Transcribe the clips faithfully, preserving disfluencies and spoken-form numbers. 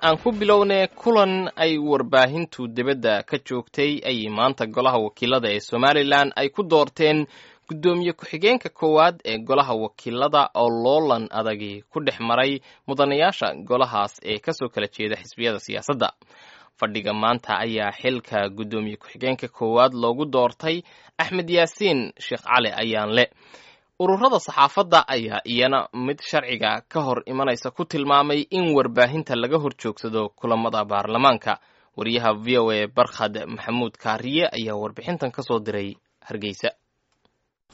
Aan ku bilownay kulan ay warbaahintu dibadda ka joogtay ayay maanta golaha wakiilada ee Somalilan ay ku doorteen guddoomiye ku-xigeenka koowaad ee golaha wakiilada oo loolan adagi ku dhex maray mudanayaasha golahaas ee kasoo kala jeeda xisbiyada siyaasadda. Fadhiga maanta ayaa xilka guddoomiye ku-xigeenka koowaad loogu doortay Axmed Yaasiin Sheekh Cali Ayaanle. Ururada saxaafadda ayaa iyana mid sharciga ka hor imanaysa ku tilmaamay in warbaahinta laga hor joogsado kulamada baarlamaanka. Wariyaha V O A Barkhad Maxamuud Kaariye ayaa warbixintan ka soo diray Hargeysa.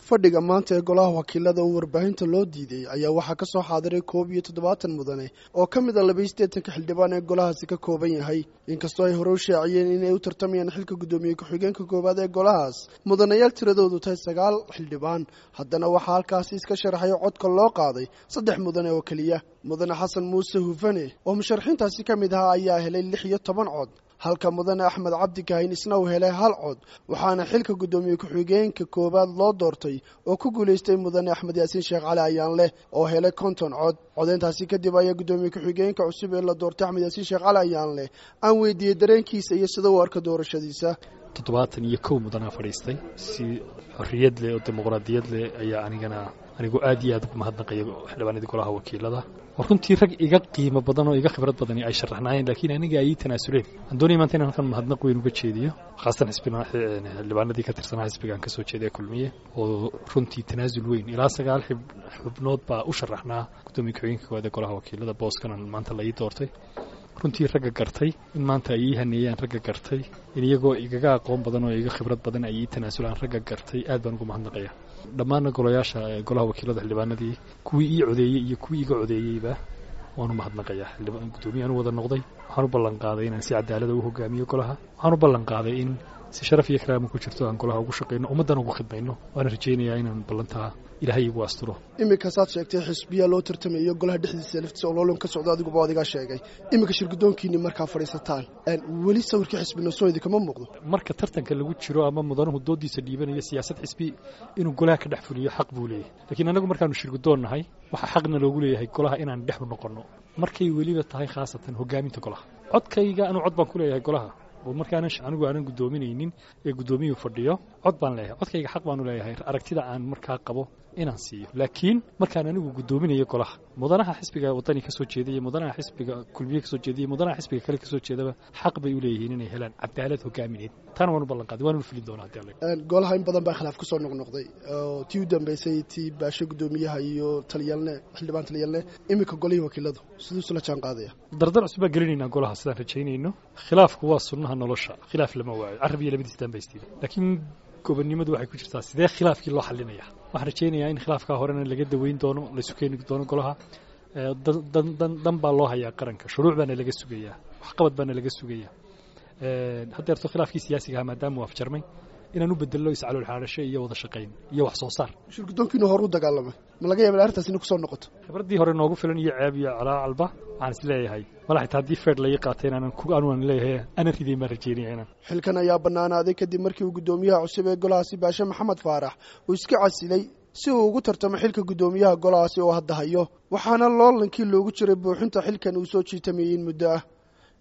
Fadhiga maanta ee golaha wakiilada oo warbaahinta loo diiday ayaa waxaa ka soo xaadiray koob iyo toddobaatan mudane oo ka mid ah laba iyo siddeetanka xildhibaan ee golahaasi ka kooban yahay. Inkastoo ay hore u shaaciyeen inay u tartamayaan xilka guddoomiye ku-xigeenka koowaad ee golahaas mudanayaal tiradoodu tahay sagaal xildhibaan, haddana waxaa halkaasi iska sharaxay codka loo qaaday saddex mudane oo keliya. Mudane Xasan Muuse Hufane oo musharaxiintaasi ka mid ahaa ayaa helay lix iyo toban cod, halka mudane Axmed Cabdi Kahin isna uu helay hal cod, waxaana xilka guddoomiye ku-xigeenka koowaad loo doortay oo ku guulaystay mudane Axmed Yaasiin Sheekh Cali Ayaanleh oo helay konton cod. Codeyntaasi kadib ayaa guddoomiye ku-xigeenka cusub ee la doortay Axmed Yaasiin Sheekh Cali Ayaanleh aan weydiiyey dareenkiisa iyo sida uu arka doorashadiisa. Toddobaatan iyo kow mudanaa fadhiistay si xorriyad leh oo dimuqraadiyad leh ayaa anigana anigu aad iyo aad ugu mahadnaqaya xildhibaanadii golaha wakiilada. Runtii rag iga qiimo badan oo iga khibrad badani ay sharaxnaayeen, laakiin aniga ay ii tanaasuleen. Waxaan doonaya maanta inaan halkan mahadnaq weyn uga jeediyo, khaasatan xildhibaanadii ka tirsanaa xisbiga aan kasoo jeeday Kulmiye, oo runtii tanaasul weyn ilaa sagaal xubnood baa u sharaxnaa guddoomiye ku-xigeenka koowaad ee golaha wakiilada booskan maanta la ii doortay. Runtii ragga gartay in maanta ay ii haneeyaan, ragga gartay in iyagoo igaga aqoon badan oo iga khibrad badan ay ii tanaasulaan, ragga gartay aad baan ugu mahadnaqaya. Dhammaanna golayaasha golaha wakiilada xildhibaanadii kuwii ii codeeyey iyo kuwii iga codeeyeyba waan u mahadnaqayaa. Guddoomiyahan u wada noqday, waxaan u ballan qaaday inaan si cadaalada u hogaamiyo golaha, waxaan u ballan qaaday in si sharaf iyo karaama ku jirto aan golaha ugu shaqayno, ummaddana ugu khidmayno. Waana rajaynayaa inaan ballantaa Ilaahay igu asturo. Iminka saad sheegtay xisbiyaa loo tartamayo golaha dhexdiisa laftiisa oo loolan ka socdo, adiguba adigaa sheegay. Iminka shirgudoonkiinni markaa fadhiisataan weli sawirkii xisbina soo idinkama muuqdo. Marka tartanka lagu jiro ama mudanuhu doodiisa dhiibanayo siyaasad xisbi inuu golaha ka dhex fuliyo xaq buu leeyahay, laakiin annagu markaanu shirgudoon nahay waxaa xaqna loogu leeyahay golaha inaan dhex u noqonno, markay weliba tahay khaasatan hogaaminta golaha. Codkayga anuu cod baan ku leeyahay golaha, oo markaanan anigu aanan guddoominaynin ee guddoomiyuhu fadhiyo cod baan leeyahay, codkayga xaq baanu leeyahay aragtida aan markaa qabo inaan siiyo. Laakiin markaan anigu guddoominayo golaha, mudanaha xisbiga Wadani ka soo jeedaya, mudanaha xisbiga Kulmiye ka soo jeedaya, mudanaha xisbiga kale ka soo jeedaba xaq bay u leeyihiin inay helaan cadaalad hogaamineed. Taana waan u ballan qaaday, waan u fulin doonaa haddii Alle. Golaha in badan baa khilaaf ku soo noqnoqday oo tii u dambeysay tii Baashe guddoomiyaha iyo taliyalne xildhibaan taliyalne, iminka golihii wakiiladu siduu isula jaan qaadaya? Dardar cusub baan gelinaynaa golaha sidaan rajaynayno. Khilaafku waa sunnaha nolosha, khilaaf lama waayo, carab iyo labadiis dambaystiida, laakiin gobonnimadu waxay ku jirtaa sidee khilaafkii loo xalinaya. Waxaan rajaynayaa in khilaafkaa horena laga daweyn doono, laysu keeni doono golaha. Dan baa loo hayaa qaranka, shuruuc baana laga sugayaa, waxqabad baana laga sugayaa. Haddeerto khilaafkii siyaasiga ahaa maadaama uu afjarmay, inaan u bedello iscalool xaadhasho iyo wada shaqayn iyo wax soo saar. Shirgudoonkiinu hore u dagaalamay, ma laga yaaba arrintaas inay kusoo noqoto? Khibraddii hore noogu filan iyo ceeb iyo calaacalba waxaan is leeyahay mala xitaa haddii feer laii qaatay inaanan anuan leeyahay aanan ridayn baan rajaynaya inaan. Xilkan ayaa bannaanaaday kadib markii uu guddoomiyaha cusub ee golahaasi Baashe Maxamed Faarax uu iska casilay si uu ugu tartamo xilka guddoomiyaha golahaasi oo hadda hayo, waxaana loolankii loogu jiray buuxinta xilkan uu soo jiitamayey in muddo ah.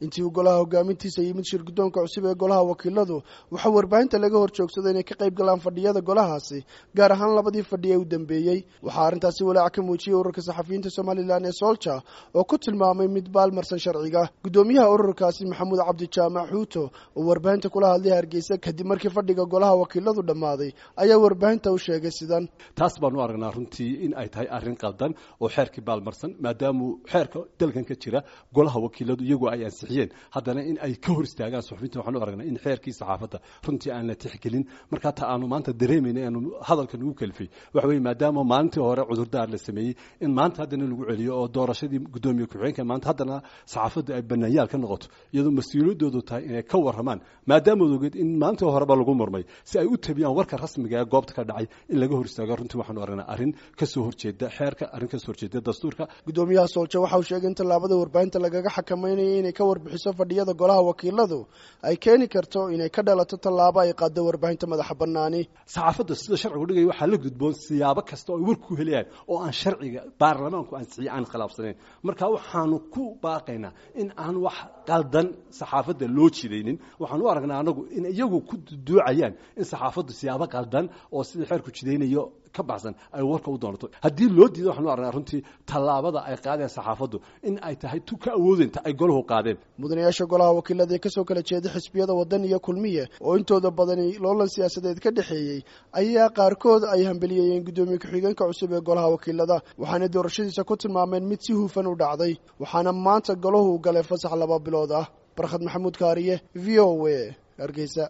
Intii uu golaha hogaamintiisa yimid shirgudoonka cusub ee golaha wakiiladu, waxaa warbaahinta laga hor joogsaday inay ka qayb galaan fadhiyada golahaasi, gaar ahaan labadii fadhi ee u dambeeyey. Waxaa arrintaasi walaac ka muujiyey ururka saxafiyiinta Somalilan ee Soolja oo ku tilmaamay mid baalmarsan sharciga. Guddoomiyaha ururkaasi Maxamuud Cabdi Jaamac Xuuto oo warbaahinta kula hadlay Hargeysa kadib markii fadhiga golaha wakiiladu dhammaaday ayaa warbaahinta u sheegay sidan: taas baanu aragnaa runtii in ay tahay arrin qaldan oo xeerkii baalmarsan, maadaamuu xeerka dalkan ka jira golaha wakiiladu iyagu ay ansixiyeen, haddana in ay ka hor istaagaan suxufiyiinta waxaan u aragnaa in xeerkii saxaafadda runtii aan la tixgelin. Markaa ta aanu maanta dareemayna aanu hadalka nagu kalifay waxa weeye, maadaama maalintii hore cudurdaar la sameeyey, in maanta haddana lagu celiyo oo doorashadii guddoomiye ku-xigeenka maanta haddana saxaafadda ay bannaanyaal ka noqoto, iyadoo mas-uuliyaddoodu tahay inay ka warramaan, maadaama ogeed in maalintii horeba lagu murmay si ay u tabiyaan warka rasmiga ee goobta ka dhacay, in laga hor istaago runtii waxaanu aragnaa arrin ka soo horjeeda xeerka, arrin ka soo horjeeda dastuurka. Guddoomiyaha Soolja waxa uu sheegay in tallaabada warbaahinta lagaga xakameynaya inay ka warbixiso fadhiyada golaha wakiiladu ay keeni karto inay ka dhalato tallaabo ay qaaddo warbaahinta madaxa bannaani. Saxaafadda sida sharcigu dhigaya waxaa la gudboon siyaabo kasta oo ay war ku helayaan oo aan sharciga baarlamaanku ansixiye aan khilaafsanayn. Marka waxaanu ku baaqaynaa in aan wax qaldan saxaafadda loo jidaynin. Waxaan u aragnaa anagu in iyagu ku duucayaan in saxaafaddu siyaabo qaldan oo sidii xeerku jidaynayo ka baxsan ay warka u doonato. Haddii loo diido waxaan u aragnaa runtii tallaabada ay qaadeen saxaafaddu in ay tahay tu ka awoodinta ay golahu qaadeen. Mudanayaasha golaha wakiilada ee kasoo kala jeeda xisbiyada Waddan iyo Kulmiye oo intooda badani loolan siyaasadeed ka dhexeeyey ayaa qaarkood ay hambeliyeeyeen guddoomiye ku-xigeenka cusub ee golaha wakiilada, waxaana doorashadiisa ku tilmaameen mid si hufan u dhacday, waxaana maanta golahu galay fasax laba bilood ah. Barkhad Maxamuud Kaariye, V O A, Hargeysa.